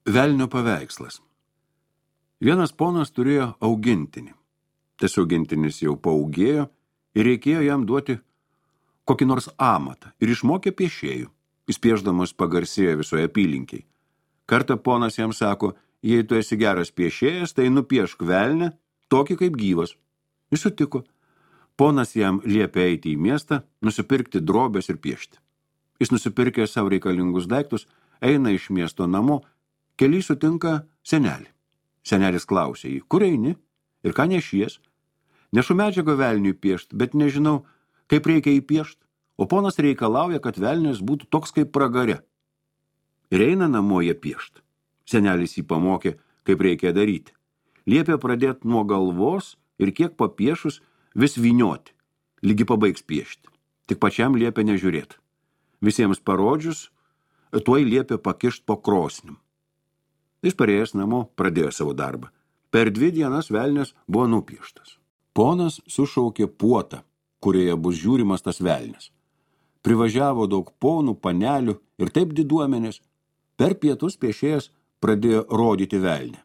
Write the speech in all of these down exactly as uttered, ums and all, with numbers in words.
Velnio paveikslas. Vienas ponas turėjo augintinį. Tas augintinis jau paaugėjo ir reikėjo jam duoti kokį nors amatą ir išmokė piešėjų. Jis piešdamas pagarsėjo visoje apylinkiai. Kartą ponas jam sako, jei tu esi geras piešėjas, tai nupiešk velnę, tokį kaip gyvas. Jis sutiko. Ponas jam liepė eiti į miestą, nusipirkti drobės ir piešti. Jis nusipirkė savo reikalingus daiktus, eina iš miesto namo, kely sutinka senelį. Senelis klausė jį, kur eini ir ką nešies? Nešu medžiagą velniui piešti, bet nežinau, kaip reikia jį piešti. O ponas reikalauja, kad velnias būtų toks kaip pragare. Ir eina namo jie piešti. Senelis jį pamokė, kaip reikia daryti. Liepė pradėti nuo galvos ir kiek papiešus vis vynioti, lygi pabaigs piešti. Tik pačiam liepė nežiūrėti. Visiems parodžius, tuoj liepė pakišti po krosnim. Jis parėjęs namo pradėjo savo darbą. Per dvi dienas velnias buvo nupieštas. Ponas sušaukė puotą, kurioje bus žiūrimas tas velnias. Privažiavo daug ponų, panelių ir taip diduomenės. Per pietus piešėjas pradėjo rodyti velnę.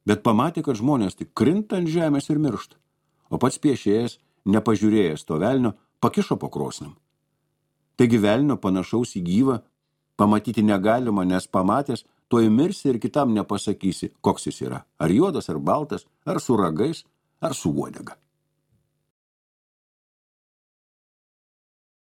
Bet pamatė, kad žmonės tik krinta ant žemės ir miršta. O pats piešėjas, nepažiūrėjęs to velnio, pakišo po krosnim. Taigi velnio panašaus į gyvą pamatyti negalima, nes pamatęs, tuoj mirsi ir kitam nepasakysi, koks jis yra. Ar juodas, ar baltas, ar su ragais, ar su uodega.